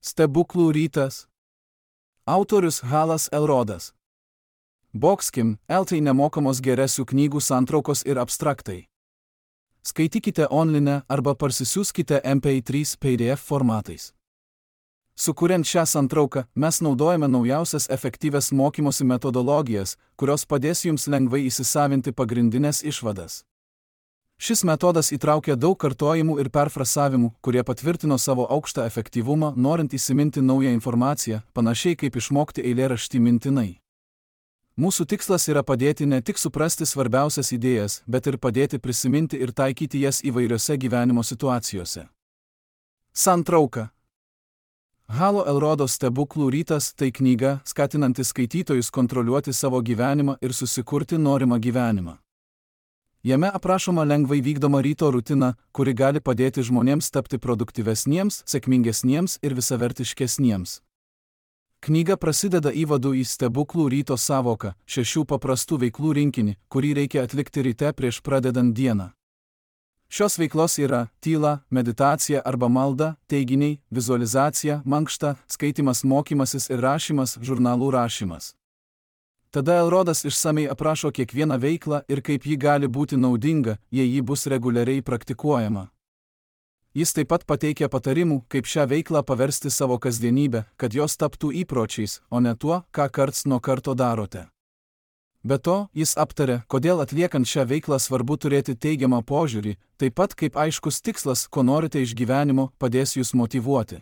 Stebuklų rytas. Autorius Halas Elrodas. Boxkim, LT nemokamos geresių knygų santraukos ir abstraktai. Skaitykite online arba parsisiųskite MP3 PDF formatais. Sukuriant šią santrauką, mes naudojame naujausias efektyvias mokymosi metodologijas, kurios padės jums lengvai įsisavinti pagrindinės išvadas. Šis metodas įtraukia daug kartojimų ir perfrasavimų, kurie patvirtino savo aukštą efektyvumą, norint įsiminti naują informaciją, panašiai kaip išmokti eilėraštį mintinai. Mūsų tikslas yra padėti ne tik suprasti svarbiausias idėjas, bet ir padėti prisiminti ir taikyti jas įvairiose gyvenimo situacijose. Santrauka. Halo Elrodo Stebuklų rytas tai knyga, skatinanti skaitytojus kontroliuoti savo gyvenimą ir susikurti norimą gyvenimą. Jame aprašoma lengvai vykdoma ryto rutina, kuri gali padėti žmonėms tapti produktyvesniems, sėkmingesniems ir visavertiškesniems. Knyga prasideda įvadu į stebuklų ryto sąvoką, 6 paprastų veiklų rinkinį, kurį reikia atlikti ryte prieš pradedant dieną. Šios veiklos yra tyla, meditacija arba malda, teiginiai, vizualizacija, mankšta, skaitimas, mokymasis ir rašymas, žurnalų rašymas. Tada Elrodas išsamei aprašo kiekvieną veiklą ir kaip ji gali būti naudinga, jei ji bus reguliariai praktikuojama. Jis taip pat pateikia patarimų, kaip šią veiklą paversti savo kasdienybę, kad jos taptų įpročiais, o ne tuo, ką karts nuo karto darote. Be to, jis aptarė, kodėl atliekant šią veiklą svarbu turėti teigiamą požiūrį, taip pat kaip aiškus tikslas, ko norite iš gyvenimo, padės jūs motyvuoti.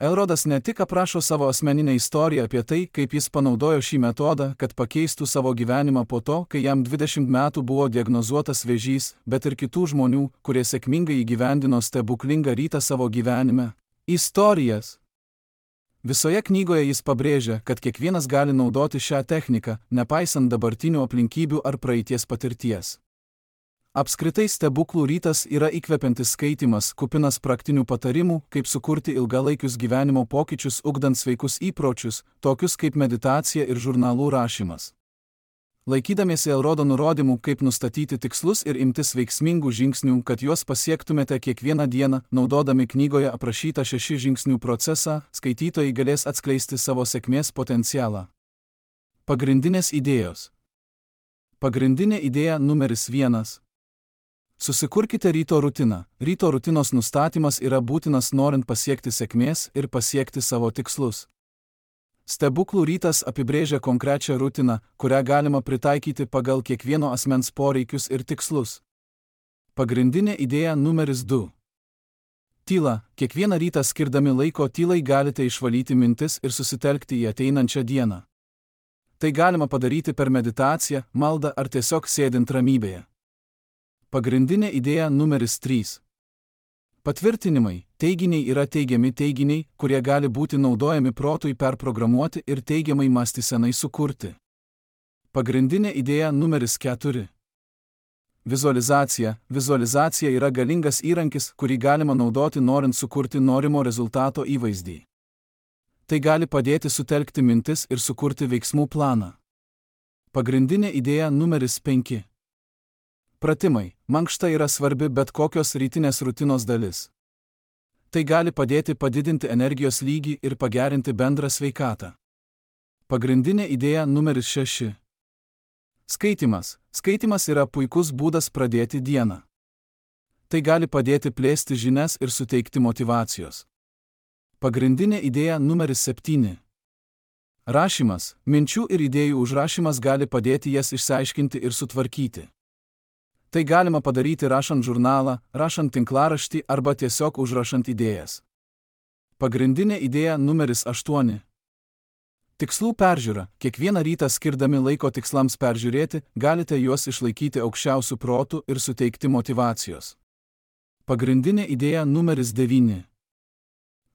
Elrodas ne tik aprašo savo asmeninę istoriją apie tai, kaip jis panaudojo šį metodą, kad pakeistų savo gyvenimą po to, kai jam 20 metų buvo diagnozuotas vėžys, bet ir kitų žmonių, kurie sėkmingai įgyvendino stebuklingą rytą savo gyvenime. Istorijas. Visoje knygoje jis pabrėžia, kad kiekvienas gali naudoti šią techniką, nepaisant dabartinių aplinkybių ar praeities patirties. Apskritai stebuklų rytas yra įkvepiantis skaitymas, kupinas praktinių patarimų, kaip sukurti ilgalaikius gyvenimo pokyčius ugdant sveikus įpročius, tokius kaip meditacija ir žurnalų rašymas. Laikydamiesi Elrodo nurodymų, kaip nustatyti tikslus ir imtis veiksmingų žingsnių, kad juos pasiektumėte kiekvieną dieną, naudodami knygoje aprašytą 6 žingsnių procesą, skaitytojai galės atskleisti savo sėkmės potencialą. Pagrindinės idėjos. Pagrindinė idėja numeris 1. Susikurkite ryto rutiną. Ryto rutinos nustatymas yra būtinas norint pasiekti sėkmės ir pasiekti savo tikslus. Stebuklų rytas apibrėžia konkrečią rutiną, kurią galima pritaikyti pagal kiekvieno asmens poreikius ir tikslus. Pagrindinė idėja numeris 2. Tyla. Kiekvieną rytą skirdami laiko tylai galite išvalyti mintis ir susitelkti į ateinančią dieną. Tai galima padaryti per meditaciją, maldą ar tiesiog sėdint ramybėje. Pagrindinė idėja numeris 3. Patvirtinimai. Teiginiai yra teigiami teiginiai, kurie gali būti naudojami protui perprogramuoti ir teigiamai mąstysenai sukurti. Pagrindinė idėja numeris 4. Vizualizacija. Vizualizacija yra galingas įrankis, kurį galima naudoti norint sukurti norimo rezultato įvaizdį. Tai gali padėti sutelkti mintis ir sukurti veiksmų planą. Pagrindinė idėja numeris 5. Pratimai. Mankšta yra svarbi bet kokios rytinės rutinos dalis. Tai gali padėti padidinti energijos lygį ir pagerinti bendrą sveikatą. Pagrindinė idėja numeris 6. Skaitimas. Skaitimas yra puikus būdas pradėti dieną. Tai gali padėti plėsti žinias ir suteikti motyvacijos. Pagrindinė idėja numeris 7. Rašymas. Minčių ir idėjų užrašymas gali padėti jas išsiaiškinti ir sutvarkyti. Tai galima padaryti rašant žurnalą, rašant tinklaraštį arba tiesiog užrašant idėjas. Pagrindinė idėja numeris 8. Tikslų peržiūra. Kiekvieną rytą skirdami laiko tikslams peržiūrėti, galite juos išlaikyti aukščiausių protų ir suteikti motyvacijos. Pagrindinė idėja numeris 9.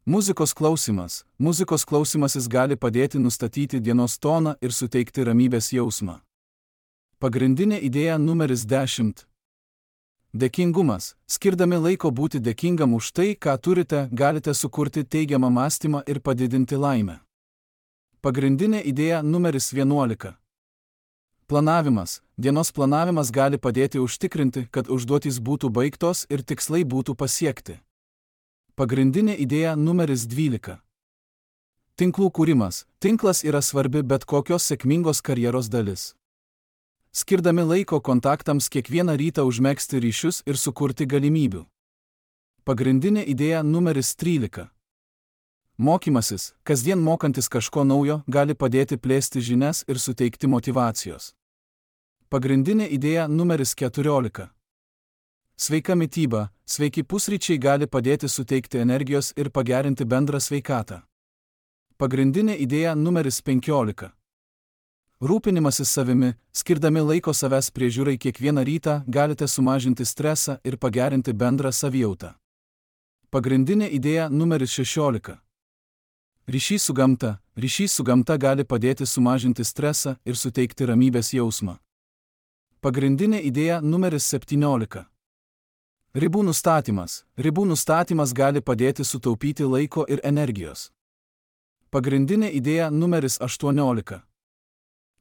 Muzikos klausimas. Muzikos klausimasis gali padėti nustatyti dienos toną ir suteikti ramybės jausmą. Pagrindinė idėja numeris 10. Dėkingumas. Skirdami laiko būti dėkingam už tai, ką turite, galite sukurti teigiamą mąstymą ir padidinti laimę. Pagrindinė idėja numeris 11. Planavimas. Dienos planavimas gali padėti užtikrinti, kad užduotys būtų baigtos ir tikslai būtų pasiekti. Pagrindinė idėja numeris 12. Tinklų kūrimas. Tinklas yra svarbi bet kokios sėkmingos karjeros dalis. Skirdami laiko kontaktams kiekvieną rytą užmegzti ryšius ir sukurti galimybių. Pagrindinė idėja numeris 13. Mokymasis, kasdien mokantis kažko naujo, gali padėti plėsti žinias ir suteikti motyvacijos. Pagrindinė idėja numeris 14. Sveika mityba, sveiki pusryčiai gali padėti suteikti energijos ir pagerinti bendrą sveikatą. Pagrindinė idėja numeris 15. Rūpinimasis savimi, skirdami laiko savęs priežiūrai kiekvieną rytą, galite sumažinti stresą ir pagerinti bendrą savijautą. Pagrindinė idėja numeris 16. Ryšys su gamta. Ryšys su gamta gali padėti sumažinti stresą ir suteikti ramybės jausmą. Pagrindinė idėja numeris 17. Ribų nustatymas. Ribų nustatymas gali padėti sutaupyti laiko ir energijos. Pagrindinė idėja numeris 18.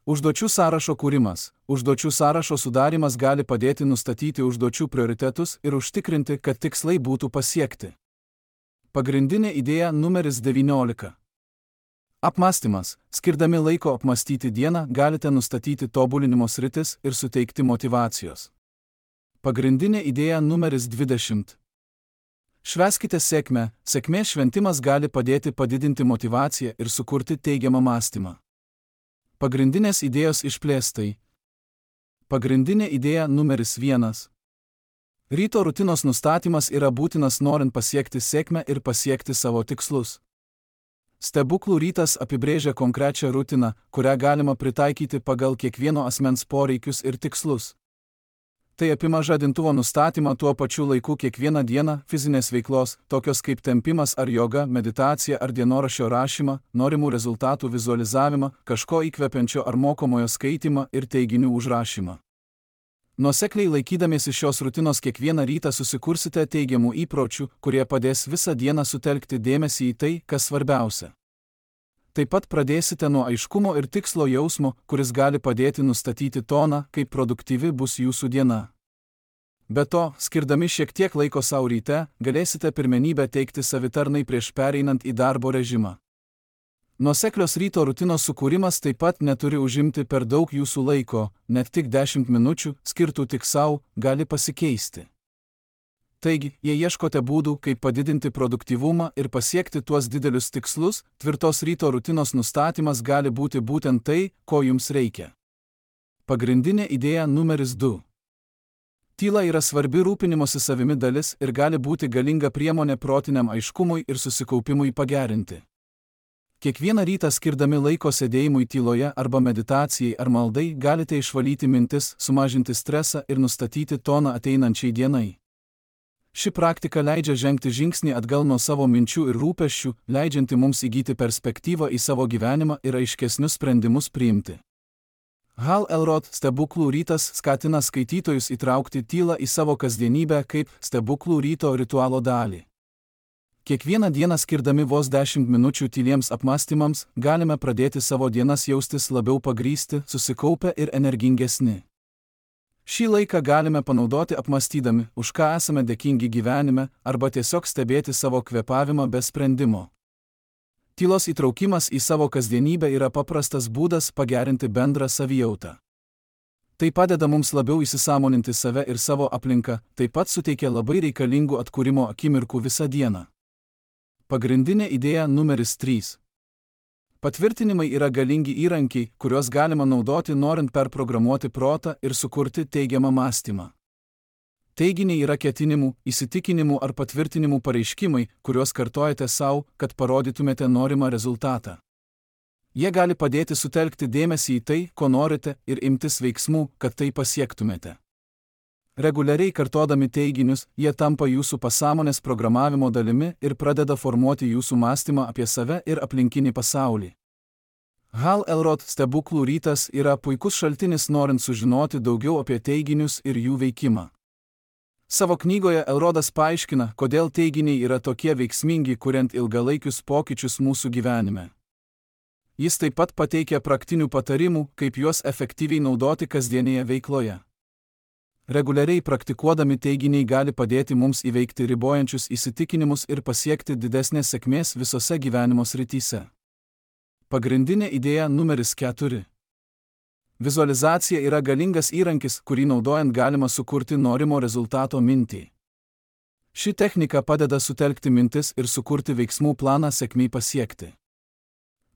Užduočių sąrašo kūrimas. Užduočių sąrašo sudarimas gali padėti nustatyti užduočių prioritetus ir užtikrinti, kad tikslai būtų pasiekti. Pagrindinė idėja numeris 19. Apmąstymas. Skirdami laiko apmąstyti dieną, galite nustatyti tobulinimo sritis ir suteikti motyvacijos. Pagrindinė idėja numeris 20. Švęskite sėkmę. Sėkmės šventimas gali padėti padidinti motyvaciją ir sukurti teigiamą mąstymą. Pagrindinės idėjos išplėstai. Pagrindinė idėja numeris 1. Ryto rutinos nustatymas yra būtinas norint pasiekti sėkmę ir pasiekti savo tikslus. Stebuklų rytas apibrėžia konkrečią rutiną, kurią galima pritaikyti pagal kiekvieno asmens poreikius ir tikslus. Tai apima žadintuvo nustatymą tuo pačiu laiku kiekvieną dieną, fizinės veiklos, tokios kaip tempimas ar joga, meditacija ar dienoraščio rašymą, norimų rezultatų vizualizavimą, kažko įkvepiančio ar mokomojo skaitymą ir teiginių užrašymą. Nuosekliai laikydamiesi šios rutinos kiekvieną rytą susikursite teigiamų įpročių, kurie padės visą dieną sutelkti dėmesį į tai, kas svarbiausia. Taip pat pradėsite nuo aiškumo ir tikslo jausmo, kuris gali padėti nustatyti toną, kaip produktyvi bus jūsų diena. Be to, skirdami šiek tiek laiko savo ryte, galėsite pirmenybę teikti savitarnai prieš pereinant į darbo režimą. Nuoseklios ryto rutinos sukūrimas taip pat neturi užimti per daug jūsų laiko, net tik 10 minučių, skirtų tik savo, gali pasikeisti. Taigi, jei ieškote būdų, kaip padidinti produktyvumą ir pasiekti tuos didelius tikslus, tvirtos ryto rutinos nustatymas gali būti būtent tai, ko jums reikia. Pagrindinė idėja numeris 2. Tyla yra svarbi rūpinimosi savimi dalis ir gali būti galinga priemonė protiniam aiškumui ir susikaupimui pagerinti. Kiekvieną rytą skirdami laiko sėdėjimui tyloje arba meditacijai ar maldai galite išvalyti mintis, sumažinti stresą ir nustatyti toną ateinančiai dienai. Ši praktika leidžia žengti žingsnį atgal nuo savo minčių ir rūpesčių, leidžianti mums įgyti perspektyvą į savo gyvenimą ir aiškesnius sprendimus priimti. Hal Elrod stebuklų rytas skatina skaitytojus įtraukti tylą į savo kasdienybę kaip stebuklų ryto ritualo dalį. Kiekvieną dieną skirdami vos 10 minučių tyliems apmąstymams, galime pradėti savo dienas jaustis labiau pagrįsti, susikaupę ir energingesni. Šį laiką galime panaudoti apmąstydami, už ką esame dėkingi gyvenime, arba tiesiog stebėti savo kvėpavimą be sprendimo. Tylos įtraukimas į savo kasdienybę yra paprastas būdas pagerinti bendrą savijautą. Tai padeda mums labiau įsisąmoninti save ir savo aplinką, taip pat suteikia labai reikalingų atkūrimo akimirkų visą dieną. Pagrindinė idėja numeris 3. Patvirtinimai yra galingi įrankiai, kuriuos galima naudoti norint perprogramuoti protą ir sukurti teigiamą mąstymą. Teiginiai yra ketinimų, įsitikinimų ar patvirtinimų pareiškimai, kuriuos kartojate savo, kad parodytumėte norimą rezultatą. Jie gali padėti sutelkti dėmesį į tai, ko norite, ir imtis veiksmų, kad tai pasiektumėte. Reguliariai kartodami teiginius, jie tampa jūsų pasąmonės programavimo dalimi ir pradeda formuoti jūsų mąstymą apie save ir aplinkinį pasaulį. Hal Elrod stebuklų rytas yra puikus šaltinis norint sužinoti daugiau apie teiginius ir jų veikimą. Savo knygoje Elrodas paaiškina, kodėl teiginiai yra tokie veiksmingi, kuriant ilgalaikius pokyčius mūsų gyvenime. Jis taip pat pateikia praktinių patarimų, kaip juos efektyviai naudoti kasdienėje veikloje. Reguliariai praktikuodami teiginiai gali padėti mums įveikti ribojančius įsitikinimus ir pasiekti didesnės sėkmės visose gyvenimo srityse. Pagrindinė idėja numeris 4. Vizualizacija yra galingas įrankis, kurį naudojant galima sukurti norimo rezultato mintį. Ši technika padeda sutelkti mintis ir sukurti veiksmų planą sėkmei pasiekti.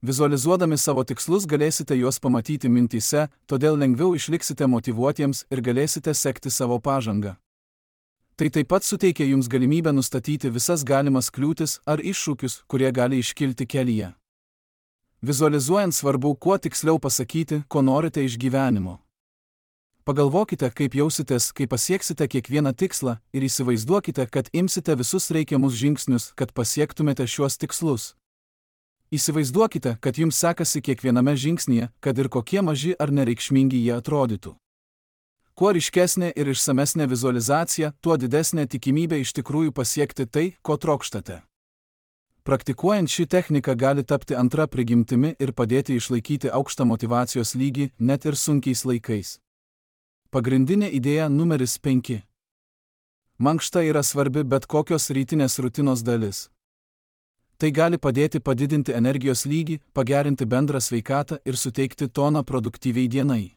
Vizualizuodami savo tikslus galėsite juos pamatyti mintyse, todėl lengviau išliksite motyvuotiems ir galėsite sekti savo pažangą. Tai taip pat suteikia jums galimybę nustatyti visas galimas kliūtis ar iššūkius, kurie gali iškilti kelyje. Vizualizuojant svarbu kuo tiksliau pasakyti, ko norite iš gyvenimo. Pagalvokite, kaip jausitės, kai pasieksite kiekvieną tikslą ir įsivaizduokite, kad imsite visus reikiamus žingsnius, kad pasiektumėte šiuos tikslus. Įsivaizduokite, kad jums sekasi kiekviename žingsnyje, kad ir kokie maži ar nereikšmingi jie atrodytų. Kuo ryškesnė ir išsamesnė vizualizacija, tuo didesnė tikimybė iš tikrųjų pasiekti tai, ko trokštate. Praktikuojant šį techniką gali tapti antra prigimtimi ir padėti išlaikyti aukštą motyvacijos lygį net ir sunkiais laikais. Pagrindinė idėja numeris 5. Mankšta yra svarbi bet kokios rytinės rutinos dalis. Tai gali padėti padidinti energijos lygį, pagerinti bendrą sveikatą ir suteikti toną produktyviai dienai.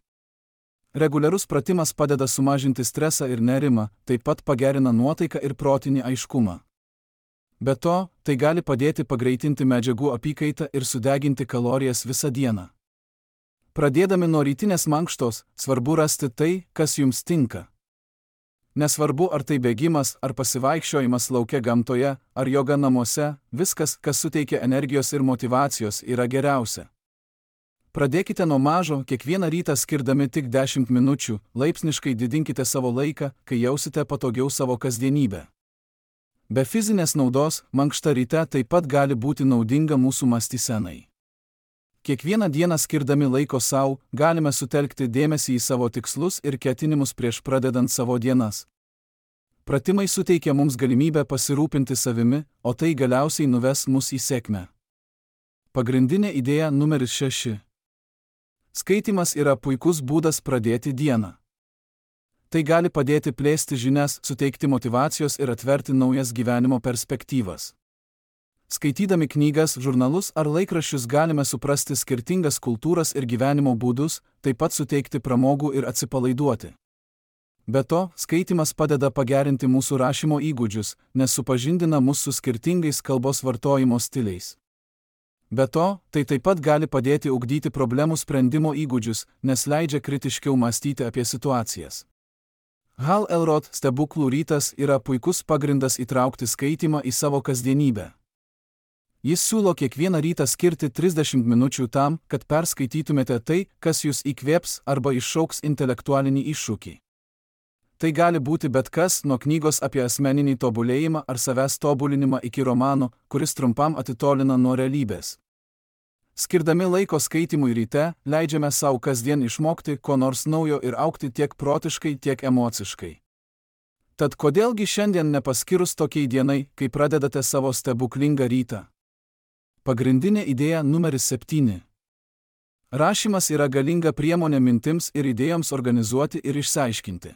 Reguliarus pratimas padeda sumažinti stresą ir nerimą, taip pat pagerina nuotaiką ir protinį aiškumą. Be to, tai gali padėti pagreitinti medžiagų apykaitą ir sudeginti kalorijas visą dieną. Pradėdami nuo rytinės mankštos, svarbu rasti tai, kas jums tinka. Nesvarbu, ar tai bėgimas, ar pasivaikščiojimas lauke gamtoje, ar joga namuose, viskas, kas suteikia energijos ir motyvacijos, yra geriausia. Pradėkite nuo mažo, kiekvieną rytą skirdami tik 10 minučių, laipsniškai didinkite savo laiką, kai jausite patogiau savo kasdienybę. Be fizinės naudos, mankšta ryte taip pat gali būti naudinga mūsų mąstysenai. Kiekvieną dieną skirdami laiko savo, galime sutelkti dėmesį į savo tikslus ir ketinimus prieš pradedant savo dienas. Pratimai suteikia mums galimybę pasirūpinti savimi, o tai galiausiai nuves mus į sėkmę. Pagrindinė idėja numeris 6. Skaitymas yra puikus būdas pradėti dieną. Tai gali padėti plėsti žinias, suteikti motyvacijos ir atverti naujas gyvenimo perspektyvas. Skaitydami knygas, žurnalus ar laikraščius galime suprasti skirtingas kultūras ir gyvenimo būdus, taip pat suteikti pramogų ir atsipalaiduoti. Be to, skaitymas padeda pagerinti mūsų rašymo įgūdžius, nes supažindina mus su skirtingais kalbos vartojimo stiliais. Be to, tai taip pat gali padėti ugdyti problemų sprendimo įgūdžius, nes leidžia kritiškiau mąstyti apie situacijas. Hal Elrod stebuklų rytas yra puikus pagrindas įtraukti skaitymą į savo kasdienybę. Jis siūlo kiekvieną rytą skirti 30 minučių tam, kad perskaitytumėte tai, kas jūs įkvėps arba iššauks intelektualinį iššūkį. Tai gali būti bet kas, nuo knygos apie asmeninį tobulėjimą ar savęs tobulinimą iki romano, kuris trumpam atitolina nuo realybės. Skirdami laiko skaitimui ryte, leidžiame savo kasdien išmokti ko nors naujo ir augti tiek protiškai, tiek emociškai. Tad kodėlgi šiandien nepaskirus tokiai dienai, kai pradedate savo stebuklingą rytą? Pagrindinė idėja numeris 7. Rašymas yra galinga priemonė mintims ir idėjoms organizuoti ir išsiaiškinti.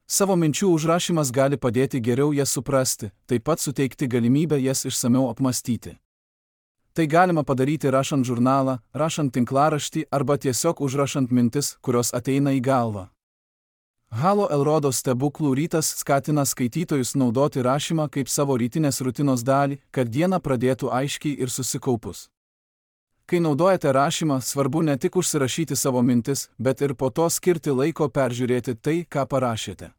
Savo minčių užrašymas gali padėti geriau jas suprasti, taip pat suteikti galimybę jas išsamiau apmąstyti. Tai galima padaryti rašant žurnalą, rašant tinklaraštį arba tiesiog užrašant mintis, kurios ateina į galvą. Halo Elrodo stebuklų rytas skatina skaitytojus naudoti rašymą kaip savo rytinės rutinos dalį, kad dieną pradėtų aiškiai ir susikaupus. Kai naudojate rašymą, svarbu ne tik užsirašyti savo mintis, bet ir po to skirti laiko peržiūrėti tai, ką parašėte.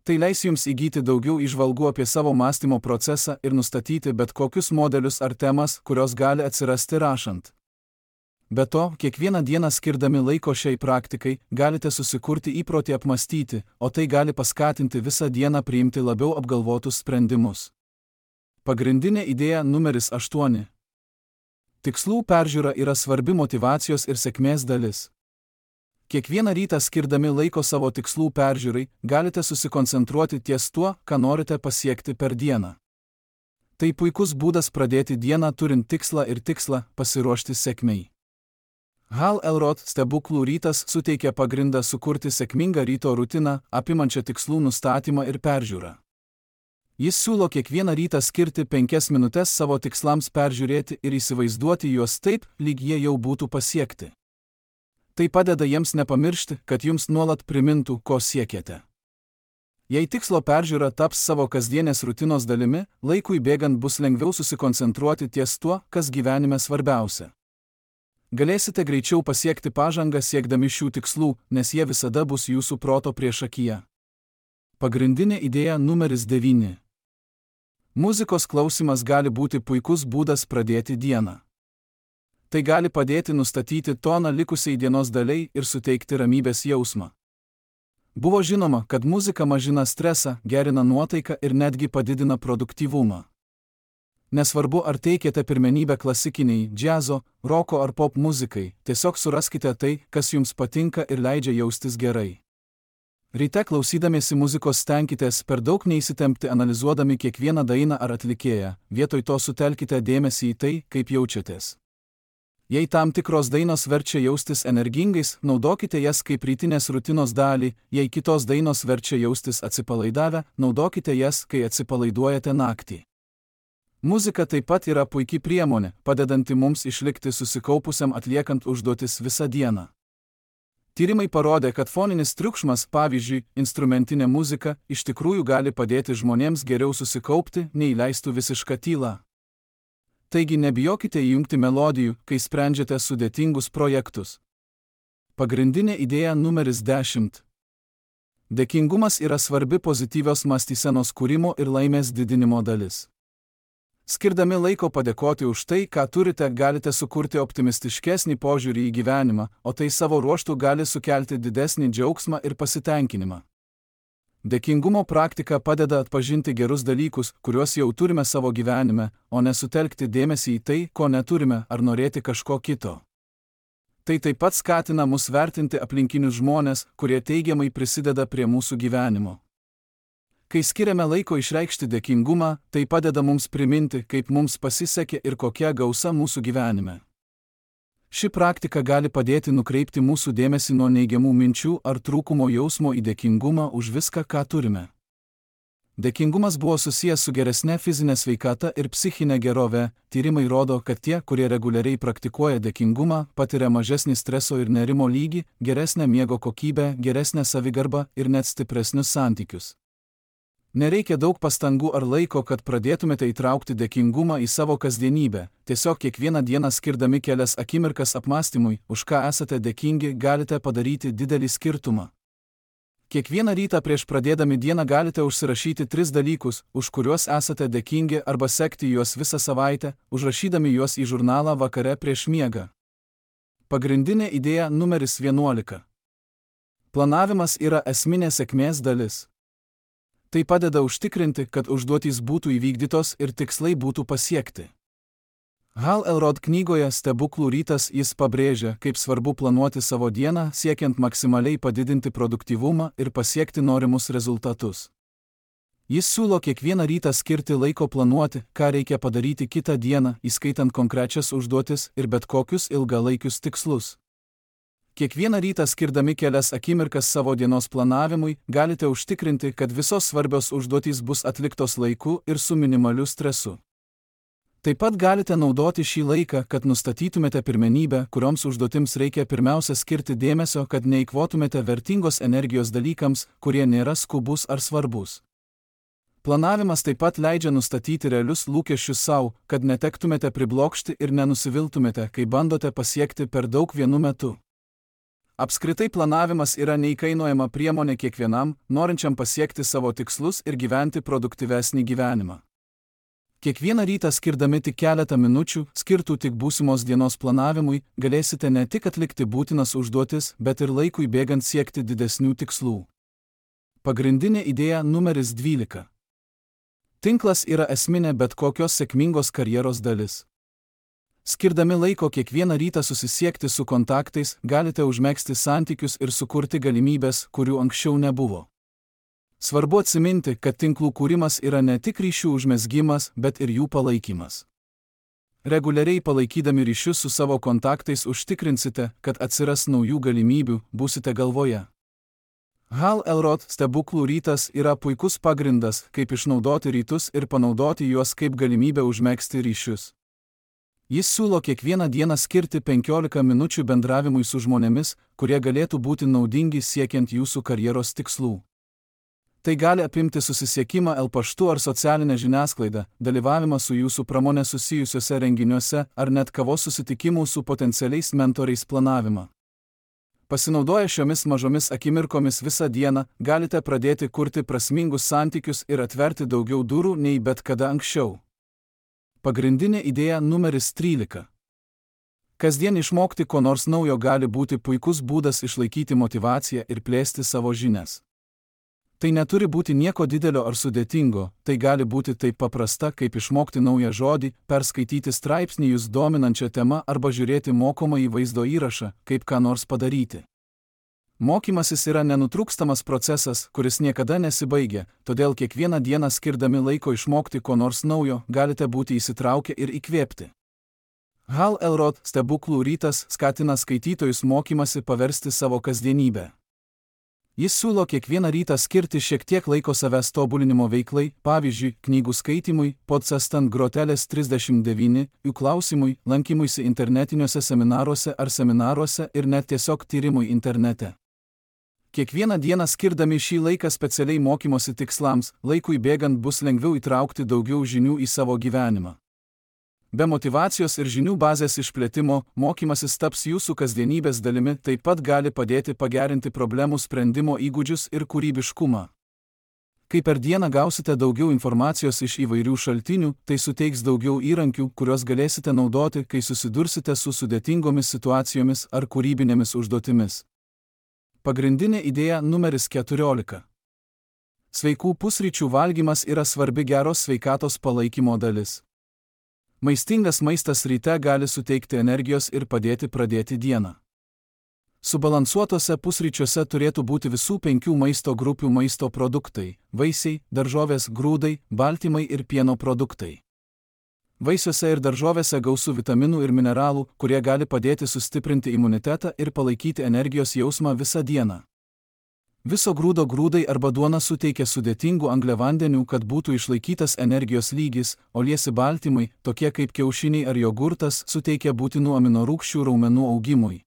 Tai leis jums įgyti daugiau įžvalgų apie savo mąstymo procesą ir nustatyti bet kokius modelius ar temas, kurios gali atsirasti rašant. Be to, kiekvieną dieną skirdami laiko šiai praktikai, galite susikurti įprotį apmąstyti, o tai gali paskatinti visą dieną priimti labiau apgalvotus sprendimus. Pagrindinė idėja numeris 8. Tikslų peržiūra yra svarbi motyvacijos ir sėkmės dalis. Kiekvieną rytą skirdami laiko savo tikslų peržiūrai, galite susikoncentruoti ties tuo, ką norite pasiekti per dieną. Tai puikus būdas pradėti dieną turint tikslą ir pasiruošti sėkmei. Hal Elrod stebuklų rytas suteikia pagrindą sukurti sėkmingą ryto rutiną, apimančią tikslų nustatymą ir peržiūrą. Jis siūlo kiekvieną rytą skirti 5 minutes savo tikslams peržiūrėti ir įsivaizduoti juos taip, lyg jie jau būtų pasiekti. Tai padeda jiems nepamiršti, kad jums nuolat primintų, ko siekiate. Jei tikslo peržiūra taps savo kasdienės rutinos dalimi, laikui bėgant bus lengviau susikoncentruoti ties tuo, kas gyvenime svarbiausia. Galėsite greičiau pasiekti pažangą siekdami šių tikslų, nes jie visada bus jūsų proto priešakyje. Pagrindinė idėja numeris 9. Muzikos klausimas gali būti puikus būdas pradėti dieną. Tai gali padėti nustatyti toną likusiai dienos daliai ir suteikti ramybės jausmą. Buvo žinoma, kad muzika mažina stresą, gerina nuotaiką ir netgi padidina produktyvumą. Nesvarbu, ar teikiate pirmenybę klasikiniai, džiazo, roko ar pop muzikai, tiesiog suraskite tai, kas jums patinka ir leidžia jaustis gerai. Ryte klausydamiesi muzikos stenkitės per daug neįsitempti analizuodami kiekvieną dainą ar atlikėją, vietoj to sutelkite dėmesį į tai, kaip jaučiatės. Jei tam tikros dainos verčia jaustis energingais, naudokite jas kaip rytinės rutinos dalį, jei kitos dainos verčia jaustis atsipalaidavę, naudokite jas, kai atsipalaiduojate naktį. Muzika taip pat yra puikia priemonė, padedanti mums išlikti susikaupusiam atliekant užduotis visą dieną. Tyrimai parodė, kad foninis triukšmas, pavyzdžiui, instrumentinė muzika, iš tikrųjų gali padėti žmonėms geriau susikaupti, nei leistų visišką tylą. Taigi nebijokite įjungti melodijų, kai sprendžiate sudėtingus projektus. Pagrindinė idėja numeris 10. Dėkingumas yra svarbi pozityvios mąstysenos kūrimo ir laimės didinimo dalis. Skirdami laiko padėkoti už tai, ką turite, galite sukurti optimistiškesnį požiūrį į gyvenimą, o tai savo ruožtu gali sukelti didesnį džiaugsmą ir pasitenkinimą. Dėkingumo praktika padeda atpažinti gerus dalykus, kuriuos jau turime savo gyvenime, o nesutelkti dėmesį į tai, ko neturime, ar norėti kažko kito. Tai taip pat skatina mus vertinti aplinkinius žmones, kurie teigiamai prisideda prie mūsų gyvenimo. Kai skiriame laiko išreikšti dėkingumą, tai padeda mums priminti, kaip mums pasisekė ir kokia gausa mūsų gyvenime. Ši praktika gali padėti nukreipti mūsų dėmesį nuo neigiamų minčių ar trūkumo jausmo į dėkingumą už viską, ką turime. Dėkingumas buvo susijęs su geresne fizinė sveikata ir psichinė gerove. Tyrimai rodo, kad tie, kurie reguliariai praktikuoja dėkingumą, patiria mažesnį streso ir nerimo lygį, geresnę miego kokybę, geresnę savigarbą ir net stipresnius santykius. Nereikia daug pastangų ar laiko, kad pradėtumėte įtraukti dėkingumą į savo kasdienybę. Tiesiog kiekvieną dieną skirdami kelias akimirkas apmąstymui, už ką esate dėkingi, galite padaryti didelį skirtumą. Kiekvieną rytą prieš pradėdami dieną galite užsirašyti 3 dalykus, už kuriuos esate dėkingi arba sekti juos visą savaitę, užrašydami juos į žurnalą vakare prieš miegą. Pagrindinė idėja numeris 11. Planavimas yra esminė sėkmės dalis. Tai padeda užtikrinti, kad užduotys būtų įvykdytos ir tikslai būtų pasiekti. Hal Elrod knygoje Stebuklų rytas jis pabrėžia, kaip svarbu planuoti savo dieną, siekiant maksimaliai padidinti produktyvumą ir pasiekti norimus rezultatus. Jis siūlo kiekvieną rytą skirti laiko planuoti, ką reikia padaryti kitą dieną, įskaitant konkrečias užduotis ir bet kokius ilgalaikius tikslus. Kiekvieną rytą skirdami kelias akimirkas savo dienos planavimui, galite užtikrinti, kad visos svarbios užduotys bus atliktos laiku ir su minimaliu stresu. Taip pat galite naudoti šį laiką, kad nustatytumėte pirmenybę, kurioms užduotims reikia pirmiausia skirti dėmesio, kad neeikvotumėte vertingos energijos dalykams, kurie nėra skubus ar svarbus. Planavimas taip pat leidžia nustatyti realius lūkesčius savo, kad netektumėte priblokšti ir nenusiviltumėte, kai bandote pasiekti per daug vienu metu. Apskritai planavimas yra neįkainojama priemonė kiekvienam, norinčiam pasiekti savo tikslus ir gyventi produktyvesnį gyvenimą. Kiekvieną rytą skirdami tik keletą minučių, skirtų tik būsimos dienos planavimui, galėsite ne tik atlikti būtinas užduotis, bet ir laikui bėgant siekti didesnių tikslų. Pagrindinė idėja numeris 12. Tinklas yra esminė bet kokios sėkmingos karjeros dalis. Skirdami laiko kiekvieną rytą susisiekti su kontaktais, galite užmegzti santykius ir sukurti galimybės, kurių anksčiau nebuvo. Svarbu atsiminti, kad tinklų kūrimas yra ne tik ryšių užmezgimas, bet ir jų palaikymas. Reguliariai palaikydami ryšius su savo kontaktais užtikrinsite, kad atsiras naujų galimybių, būsite galvoje. Hal Elrod stebuklų rytas yra puikus pagrindas, kaip išnaudoti rytus ir panaudoti juos kaip galimybę užmegzti ryšius. Jis siūlo kiekvieną dieną skirti 15 minučių bendravimui su žmonėmis, kurie galėtų būti naudingi siekiant jūsų karjeros tikslų. Tai gali apimti susisiekimą paštu ar socialinę žiniasklaidą, dalyvavimą su jūsų pramonė susijusiuose renginiuose ar net kavos susitikimų su potencialiais mentoriais planavimą. Pasinaudoję šiomis mažomis akimirkomis visą dieną, galite pradėti kurti prasmingus santykius ir atverti daugiau durų nei bet kada anksčiau. Pagrindinė idėja numeris 13. Kasdien išmokti ko nors naujo gali būti puikus būdas išlaikyti motyvaciją ir plėsti savo žinias. Tai neturi būti nieko didelio ar sudėtingo, tai gali būti taip paprasta, kaip išmokti naują žodį, perskaityti straipsnį jūs dominančią temą arba žiūrėti mokomąjį vaizdo įrašą, kaip ką nors padaryti. Mokymasis yra nenutrūkstamas procesas, kuris niekada nesibaigia, todėl kiekvieną dieną skirdami laiko išmokti ko nors naujo, galite būti įsitraukę ir įkvėpti. Hal Elrod stebuklų rytas skatina skaitytojus mokymasi paversti savo kasdienybę. Jis siūlo kiekvieną rytą skirti šiek tiek laiko savęs tobulinimo veiklai, pavyzdžiui, knygų skaitimui, podsastant grotelės 39, jų klausimui, lankymuisi internetiniuose seminaruose ar seminaruose ir net tiesiog tyrimui internete. Kiekvieną dieną skirdami šį laiką specialiai mokymosi tikslams, laikui bėgant bus lengviau įtraukti daugiau žinių į savo gyvenimą. Be motyvacijos ir žinių bazės išplėtimo, mokymasis taps jūsų kasdienybės dalimi, taip pat gali padėti pagerinti problemų sprendimo įgūdžius ir kūrybiškumą. Kai per dieną gausite daugiau informacijos iš įvairių šaltinių, tai suteiks daugiau įrankių, kuriuos galėsite naudoti, kai susidursite su sudėtingomis situacijomis ar kūrybinėmis užduotimis. Pagrindinė idėja numeris 14. Sveikų pusryčių valgymas yra svarbi geros sveikatos palaikymo dalis. Maistingas maistas ryte gali suteikti energijos ir padėti pradėti dieną. Subalansuotose pusryčiuose turėtų būti visų 5 maisto grupių maisto produktai – vaisiai, daržovės, grūdai, baltymai ir pieno produktai. Vaisiuose ir daržovėse gausu vitaminų ir mineralų, kurie gali padėti sustiprinti imunitetą ir palaikyti energijos jausmą visą dieną. Viso grūdo grūdai arba duona suteikia sudėtingų angliavandenių, kad būtų išlaikytas energijos lygis, o liesi baltymai, tokie kaip kiaušiniai ar jogurtas, suteikia būtinų aminorūgščių raumenų augimui.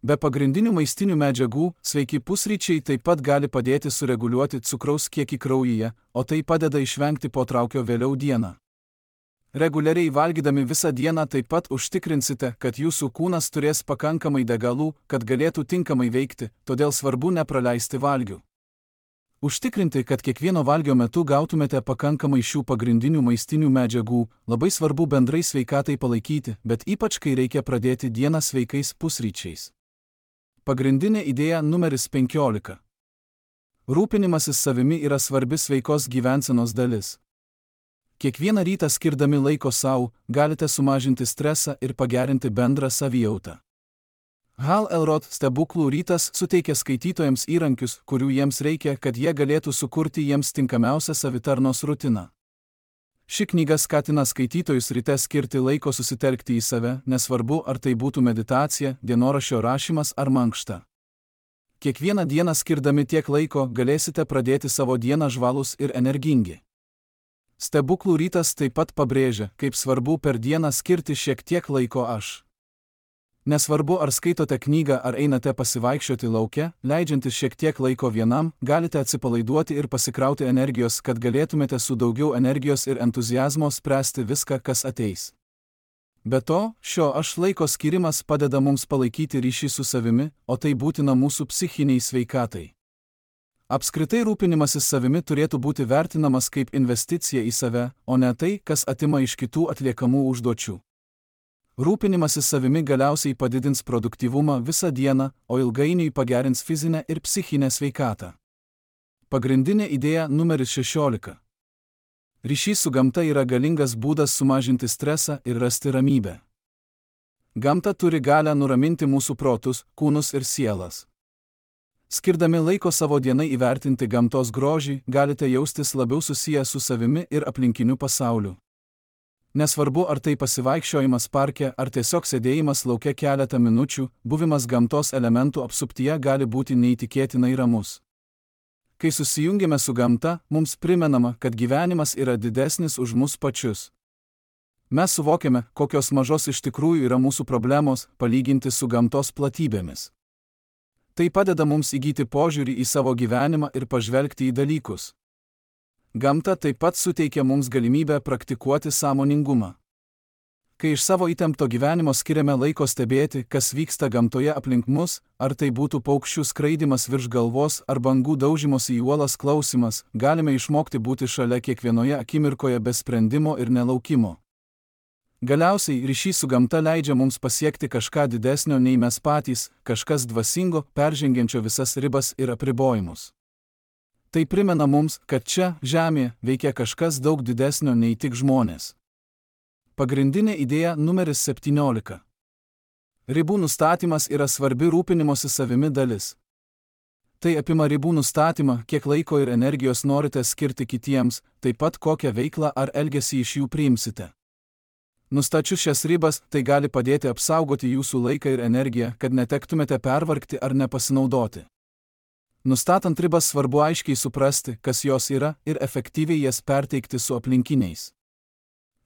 Be pagrindinių maistinių medžiagų, sveiki pusryčiai taip pat gali padėti sureguliuoti cukraus kiekį kraujyje, o tai padeda išvengti potraukio vėliau dieną. Reguliariai valgydami visą dieną taip pat užtikrinsite, kad jūsų kūnas turės pakankamai degalų, kad galėtų tinkamai veikti, todėl svarbu nepraleisti valgių. Užtikrinti, kad kiekvieno valgio metu gautumėte pakankamai šių pagrindinių maistinių medžiagų, labai svarbu bendrai sveikatai palaikyti, bet ypač kai reikia pradėti dieną sveikais pusryčiais. Pagrindinė idėja numeris 15. Rūpinimasis savimi yra svarbi sveikos gyvensenos dalis. Kiekvieną rytą skirdami laiko savo, galite sumažinti stresą ir pagerinti bendrą savijautą. Hal Elrod stebuklų rytas suteikia skaitytojams įrankius, kurių jiems reikia, kad jie galėtų sukurti jiems tinkamiausią savitarnos rutiną. Ši knyga skatina skaitytojus ryte skirti laiko susitelkti į save, nesvarbu ar tai būtų meditacija, dienoraščio rašymas ar mankšta. Kiekvieną dieną skirdami tiek laiko galėsite pradėti savo dieną žvalūs ir energingi. Stebuklų rytas taip pat pabrėžia, kaip svarbu per dieną skirti šiek tiek laiko aš. Nesvarbu, ar skaitote knygą ar einate pasivaikščioti lauke, leidžiantis šiek tiek laiko vienam, galite atsipalaiduoti ir pasikrauti energijos, kad galėtumėte su daugiau energijos ir entuziazmo spręsti viską, kas ateis. Be to, šio aš laiko skirimas padeda mums palaikyti ryšį su savimi, o tai būtina mūsų psichiniai sveikatai. Apskritai rūpinimasis savimi turėtų būti vertinamas kaip investicija į save, o ne tai, kas atima iš kitų atliekamų užduočių. Rūpinimasis savimi galiausiai padidins produktyvumą visą dieną, o ilgainiui pagerins fizinę ir psichinę sveikatą. Pagrindinė idėja numeris 16. Ryšys su gamta yra galingas būdas sumažinti stresą ir rasti ramybę. Gamta turi galią nuraminti mūsų protus, kūnus ir sielas. Skirdami laiko savo dienai įvertinti gamtos grožį, galite jaustis labiau susiję su savimi ir aplinkiniu pasauliu. Nesvarbu, ar tai pasivaikščiojimas parke, ar tiesiog sėdėjimas lauke keletą minučių, buvimas gamtos elementų apsuptyje gali būti neįtikėtinai ramus. Kai susijungiame su gamta, mums primenama, kad gyvenimas yra didesnis už mus pačius. Mes suvokiame, kokios mažos iš tikrųjų yra mūsų problemos, palyginti su gamtos platybėmis. Tai padeda mums įgyti požiūrį į savo gyvenimą ir pažvelgti į dalykus. Gamta taip pat suteikia mums galimybę praktikuoti sąmoningumą. Kai iš savo įtempto gyvenimo skiriame laiko stebėti, kas vyksta gamtoje aplink mus, ar tai būtų paukščių skraidymas virš galvos ar bangų daužymosi į uolas klausimas, galime išmokti būti šalia kiekvienoje akimirkoje be sprendimo ir nelaukimo. Galiausiai ryšys su gamta leidžia mums pasiekti kažką didesnio nei mes patys, kažkas dvasingo, peržengiančio visas ribas ir apribojimus. Tai primena mums, kad čia, žemėje, veikia kažkas daug didesnio nei tik žmonės. Pagrindinė idėja numeris 17. Ribų nustatymas yra svarbi rūpinimosi savimi dalis. Tai apima ribų nustatymą, kiek laiko ir energijos norite skirti kitiems, taip pat kokią veiklą ar elgesį iš jų priimsite. Nustačius šias ribas, tai gali padėti apsaugoti jūsų laiką ir energiją, kad netektumėte pervargti ar nepasinaudoti. Nustatant ribas svarbu aiškiai suprasti, kas jos yra, ir efektyviai jas perteikti su aplinkiniais.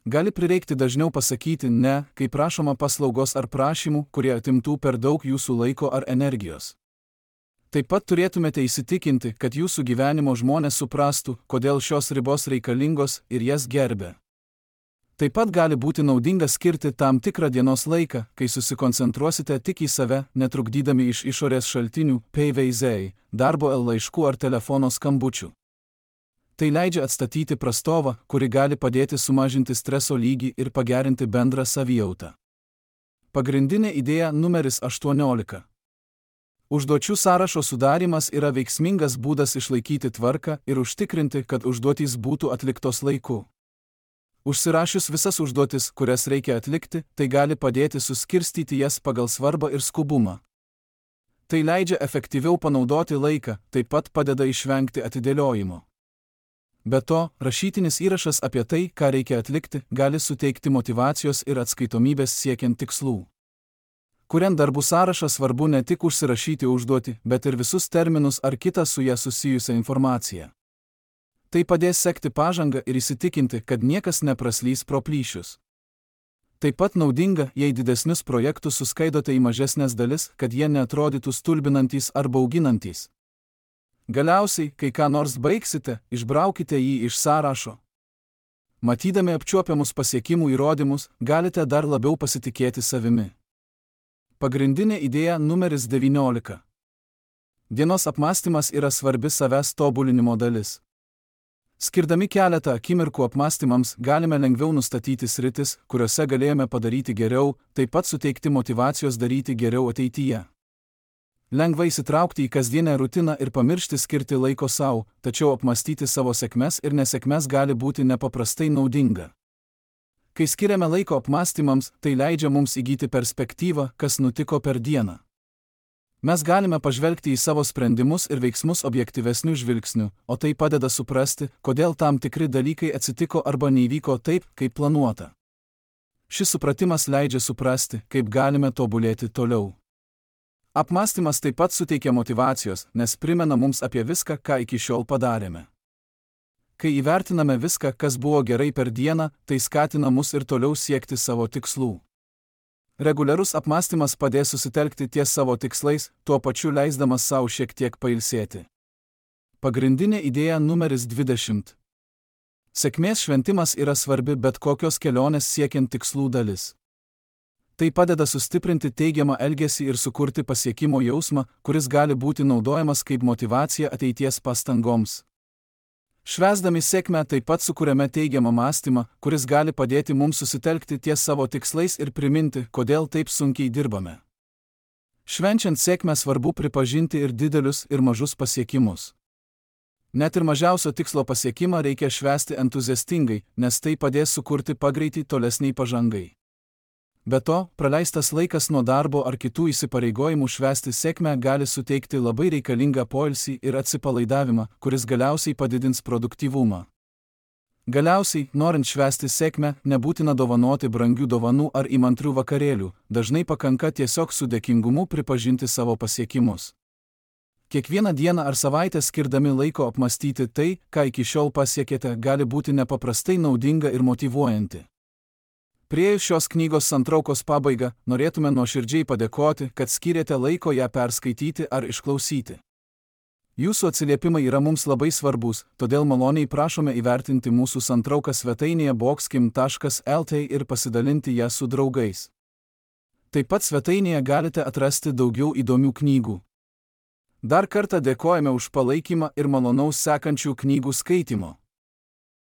Gali prireikti dažniau pasakyti ne, kai prašoma paslaugos ar prašymų, kurie atimtų per daug jūsų laiko ar energijos. Taip pat turėtumėte įsitikinti, kad jūsų gyvenimo žmonės suprastų, kodėl šios ribos reikalingos ir jas gerbia. Taip pat gali būti naudinga skirti tam tikrą dienos laiką, kai susikoncentruosite tik į save, netrukdydami iš išorės šaltinių, PVZ, darbo laiškų ar telefono skambučių. Tai leidžia atstatyti prastovą, kuri gali padėti sumažinti streso lygį ir pagerinti bendrą savijautą. Pagrindinė idėja numeris 18. Užduočių sąrašo sudarymas yra veiksmingas būdas išlaikyti tvarką ir užtikrinti, kad užduotys būtų atliktos laiku. Užsirašius visas užduotis, kurias reikia atlikti, tai gali padėti suskirstyti jas pagal svarbą ir skubumą. Tai leidžia efektyviau panaudoti laiką, taip pat padeda išvengti atidėliojimo. Be to, rašytinis įrašas apie tai, ką reikia atlikti, gali suteikti motyvacijos ir atskaitomybės siekiant tikslų. Kuriant darbų sąrašą svarbu ne tik užsirašyti užduotį, bet ir visus terminus ar kitą su ją susijusią informaciją. Tai padės sekti pažangą ir įsitikinti, kad niekas nepraslys pro plyšius. Taip pat naudinga, jei didesnius projektus suskaidote į mažesnės dalis, kad jie neatrodytų stulbinantys ar bauginantys. Galiausiai, kai ką nors baigsite, išbraukite jį iš sąrašo. Matydami apčiuopiamus pasiekimų įrodymus, galite dar labiau pasitikėti savimi. Pagrindinė idėja numeris 19. Dienos apmąstymas yra svarbi savęs tobulinimo dalis. Skirdami keletą akimirkų apmąstymams, galime lengviau nustatyti sritis, kuriuose galėjome padaryti geriau, taip pat suteikti motyvacijos daryti geriau ateityje. Lengva įsitraukti į kasdienę rutiną ir pamiršti skirti laiko savo, tačiau apmąstyti savo sėkmes ir nesėkmes gali būti nepaprastai naudinga. Kai skiriame laiko apmąstymams, tai leidžia mums įgyti perspektyvą, kas nutiko per dieną. Mes galime pažvelgti į savo sprendimus ir veiksmus objektyvesniu žvilgsniu, o tai padeda suprasti, kodėl tam tikri dalykai atsitiko arba neįvyko taip, kaip planuota. Šis supratimas leidžia suprasti, kaip galime tobulėti toliau. Apmąstymas taip pat suteikia motyvacijos, nes primena mums apie viską, ką iki šiol padarėme. Kai įvertiname viską, kas buvo gerai per dieną, tai skatina mus ir toliau siekti savo tikslų. Reguliarus apmąstymas padės susitelkti ties savo tikslais, tuo pačiu leisdamas savo šiek tiek pailsėti. Pagrindinė idėja numeris 20. Sėkmės šventimas yra svarbi bet kokios kelionės siekiant tikslų dalis. Tai padeda sustiprinti teigiamą elgesį ir sukurti pasiekimo jausmą, kuris gali būti naudojamas kaip motyvacija ateities pastangoms. Švęsdami sėkmę taip pat sukuriame teigiamą mąstymą, kuris gali padėti mums susitelkti ties savo tikslais ir priminti, kodėl taip sunkiai dirbame. Švenčiant sėkmę svarbu pripažinti ir didelius, ir mažus pasiekimus. Net ir mažiausio tikslo pasiekimą reikia švęsti entuziastingai, nes tai padės sukurti pagreitį tolesniai pažangai. Be to, praleistas laikas nuo darbo ar kitų įsipareigojimų švęsti sėkmę gali suteikti labai reikalingą poilsį ir atsipalaidavimą, kuris galiausiai padidins produktyvumą. Galiausiai, norint švęsti sėkmę, nebūtina dovanoti brangių dovanų ar įmantrių vakarėlių, dažnai pakanka tiesiog su dėkingumu pripažinti savo pasiekimus. Kiekvieną dieną ar savaitę skirdami laiko apmąstyti tai, ką iki šiol pasiekėte, gali būti nepaprastai naudinga ir motyvuojanti. Priėjus šios knygos santraukos pabaigą, norėtume nuoširdžiai padėkoti, kad skyrėte laiko ją perskaityti ar išklausyti. Jūsų atsiliepimai yra mums labai svarbus, todėl maloniai prašome įvertinti mūsų santrauką svetainėje boxkim.lt ir pasidalinti ją su draugais. Taip pat svetainėje galite atrasti daugiau įdomių knygų. Dar kartą dėkojame už palaikymą ir malonaus sekančių knygų skaitimo.